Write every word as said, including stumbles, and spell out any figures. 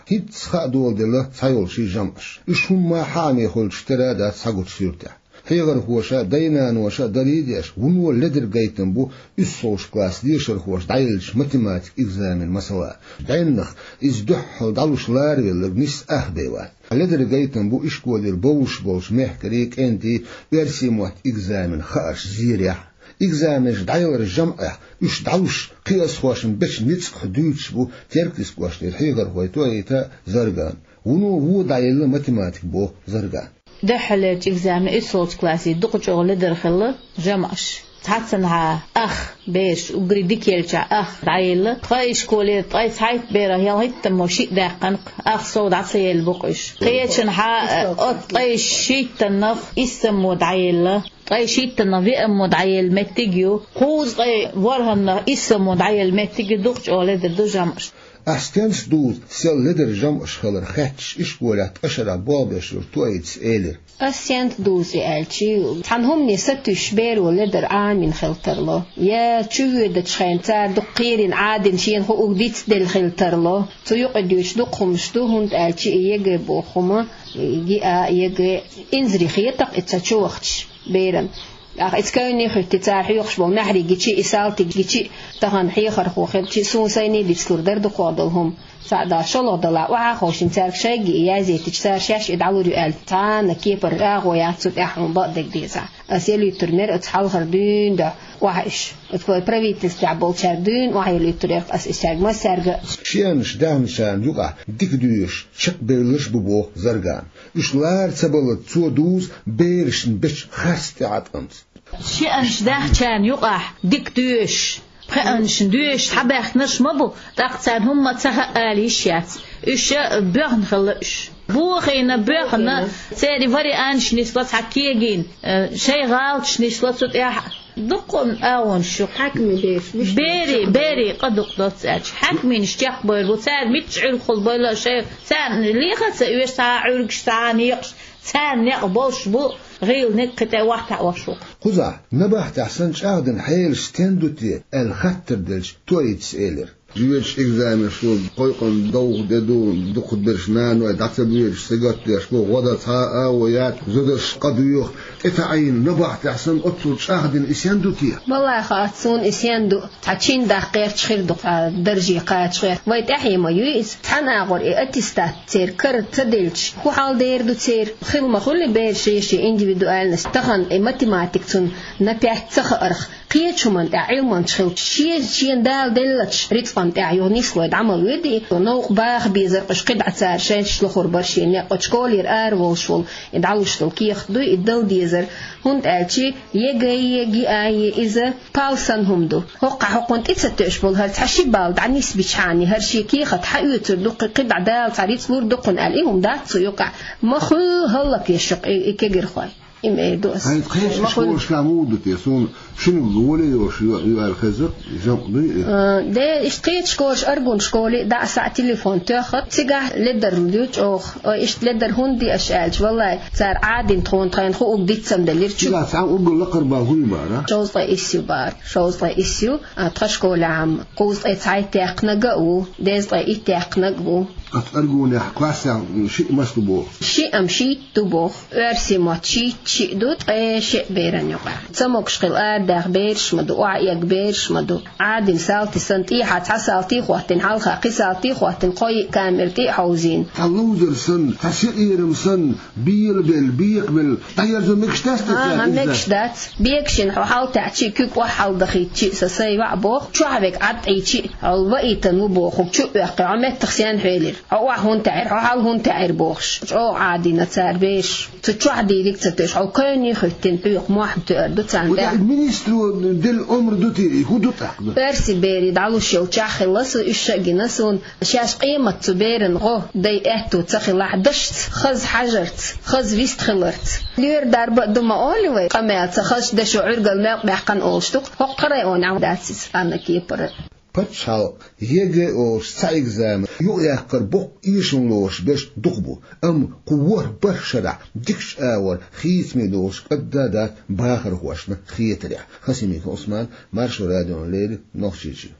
ХӀинцца хаа доладелла цхьайолчу жамӀаш. Уьш хӀумма хьаьхьа хуьлучу тера а дац цхьагучу суьртехь. Хьехархоша а, дай-наноша а дарий а деш, вуно ледара гайтина бу уьссалгӀачу классан дешархоша дӀаеллачу математикан экзаменан масала. ДӀаьннах иза дуьххьал дӀалуш ларавелларг нисса ах бен вац. Ледара гайтина бу ишколера бовзуш болчу мехкарийн, кӀентийн оьрсийн меттан экзаменан хаарш зерехь. Экзаменаш дӀаяларан жамӀехь уьш дӀалуш, кхиазхошна бечу ницкъах дуьйцуш бу Теркйистан кӀоштара хьехархой Тоита а, Зарган а. Вуно вон дӀаелла математика, боху Заргана. Дуьххьарлерчу экзаменан уьссалгӀачу классе дукха чӀогӀа ледара хилла жамӀаш. Цхьаццанхьа ах бераш, уггаре дика еллачохь ах дӀаелла. Тхан ишколера ткъе цхьайтта берах ялхиттаммо шиъ даьккхина-кх, ах сов дӀа ца елла бу-кх уьш. Кхечанхьа, оцу ткъе шийттаннах иссаммо дӀаелла. Ткъе шийттаннах веаммо дӀаелла меттиг а ю, кхузткъе ворхӀаннах иссаммо дӀаелла меттиг а ю, дукха чӀогӀа ледара ду жамӀаш. Ахь стенца дузу сел ледара жамӀаш хилар хаьттича, ишколехь ткъа шарахь болх беш йолчу Тоитас элира: «Ас стенца дузу и аьлча, цхьана хӀумане сатуьйсуш беро ледар Ӏамийна хила тарло, я чувоьдучу хенахь цара дукха кхерина, Ӏадина шена хууг дицделла хила тарло. Цу юкъа дуьйцуш дукха хӀуманаш ду, хӀунда аьлча и ЕГЭ боху хӀума, ГИА, ЕГЭ, инзаре хетакх и ца чувахча беран. ТӀаккха иза кевне а хӀуьттий, цара хьоькхуш болу маьхьарий гичи, и салтий гичи, тахана хьехархо хилчи, суна сайне а дицлур дара дукхох долу хӀума. Цхьаъ дала шолгӀа далахь, охьа а ховшийна, цаьрга шайга и язъяйтича, цара шаьш и дӀалур ю аьлла, цхьана а кепара агӀо яц цу тӀехь хьуна бакъдерг дезахь. Ас ял юьттур мера оцу хьалхара дуьйна дуьхьа охьа уьш. Оцу вай правительствехь болчаьрга дуьйна охьа ял юьттур яра ас и цаьрга массаьрга а». Шиъанаш даьхначарна юкъахь дика доьшуш, чекхбевлларш а бу, боху Заргана. Уьш лара ца баллалц, цо дузу берашна бечу харц тӀеӀаткъамца. Шиъанаш даьхначарна юкъахь дика доьшуш, пхеанашна доьшуш схьабаьхкинарш ма бу, тӀаккха царна хӀумма а ца хаьа ала йиш яц. Уьш а боьхна хилла уьш. Бохийна, боьхна, церан варианташ нисло цхьа кегийна, э, шайн гӀалаташ нисло цу тӀехь. Дуккха а агӀонаш ю. Хьаькамийн бераш, вуьшта берийн, берийн къа дукха доццу аьлча, хьаькамийнаш чекхбевр бу, цара мичча Ӏуьрг хуьлу бойла а шайн, царна леха а ца оьшу цхьа а Ӏуьргаш, цхьа а некъаш, царна некъ болуш бу гӀийланиг, кхин тӀе охьатаӀош ву-кх. Кхузахь, набахтехь санна, чӀагӀдина хьелаш стен ду те аьлла хаттар делча, Тоитас элира: «Жоьжахатин экзаменаш ду, кхойкхуш довха де ду, дукхахберш наной дӀа ца боьдуш сагатдеш бу, гӀо дан цхьа а агӀо яц, зударшна къа доьху, тӀетаӀийна набахтехь санна, оццул чӀагӀдина и стен ду те?» Валлахьи, хац суна и стен ду. Цхьа чин даккха гӀерташ хир ду, цхьа дарже кхача гӀерта. Вай тӀаьхье ма юй иза. Цхьана агӀор и аттестат церан кара ца делча, хӀун хьал дер ду церан? Хила ма хуьлий бераш шен-шен индивидуальность? Тахана и математика цунна на пять ца хаарх, кхечу хӀуманна тӀехь Ӏилманча хилча, шен, шена Дала деллачу рицкъанна тӀехь юха нислой дӀа ма воьдий? Новкъа баха безар-кх уьш, кхидӀа цара шаьш лохур бара шен некъ. Оцу школера ара волуш волу и дӀалуш долу кехат дуй и дала дезар, хӀунда аьлча ЕГЭ-е, ГИА-е иза пал санна хӀума ду. ХӀокху хьокхунна тӀе ца тоьуш болу хӀара цхьа ши балл дӀанисбичхьана, хӀара шен кехат хьаоьцур ду, кхин кхидӀа Дала цхьа рицкъ лур ду кхунна аьлла, и хӀума дац цу юкъахь. Ма хуьлу хӀаллакъеш ю-кх и, и кегирхой. И ма эр ду ас. Хьайн кхечу школашкахь муха ду те, суна шинниг воле йолуш ю, ю аьлла хеза, жамӀ дуй и? А, де, иштта кхечу школаш, Аргун школе а дӀа а схьа телефон тоьххат, цигахь ледар ю чӀогӀа. Ой, иштта ледар хӀунда ди аша аьлча, валлай, цара Ӏадина тхуна, тхайна хууг диццам делира чу. Цигахь цхьаъ уггар лакхара бан хӀун ю бара? Шовзткъе исс ю бара, шовзткъе исс ю, а, тхан школехь-м кхузткъе цхьайтта яьккхинарг а ву, дезткъе итт яьккхинарг а ву. Оцу Аргунехь классехь шиъ мас ду боху? Шиъ-м шийтта ду боху. Оьрсийн мотт шийтта шиъ ду, ткъе шиъ беран юкъахь. Ца могуш хила арадаьхна бераш ма ду, охьаэгна бераш ма ду. Ӏадина салти санна, тӀехьа цхьа салти а хӀоттийна, хьалха кхин салти а хӀоттийна, кхо-йиъ камера тӀе а хьовзийна. Цхьа ловзар санна, цхьа сиъерам санна, белабелла, бекабелла, дӀаерзо мегаш дац те цара иза? ХӀан, мегаш дац. Бегашина хьо хьалтаьӀчи, куьг охьахьалдахийтчи, сан сай ваӀ боху, чохь вега Ӏад Ӏийчи, хьо ваийтан ву бохург чу а оьккхий, хьо меттах сенна хьоьлира? Хьо охьа хӀунда таьӀира, хьо хьал хӀунда таьӀира бохуш. ЧӀогӀа Ӏадийна цара бераш. Цу чохь дийриг а ца тоьуш, хьо кевне а хӀуьттина, хьоькху мохь тоьар ду царна тӀехь. Министро делла омра ду те, и хӀун ду тӀаккха? Оьрсийн берий дӀалуш йолчохь хилла со, уьш а гина суна. Шаьш къемат цу беран гӀо дай аьтту ца хилахь, дашца, хаза хьажарца, хаза вистхиларца. Лоьра дарба а ду ма олий вай, къамел ца хазчу дашо Ӏуьргал мел баьккхина олуш ду-кх, хӀокху районехь дац иза, Анна кепара. Пачхьалкх ЕГЭ олуш цхьа экзамен юкъаяккхар боккха эшам лоруш берш дукха бу, амма кху ворхӀ-бархӀ шарахь дикачу агӀор хийцаме долуш кӀадда а дац бахархошна хетарехь. Хасимиков Ӏусман, Маршо радиона леррина, Нохчийчоь.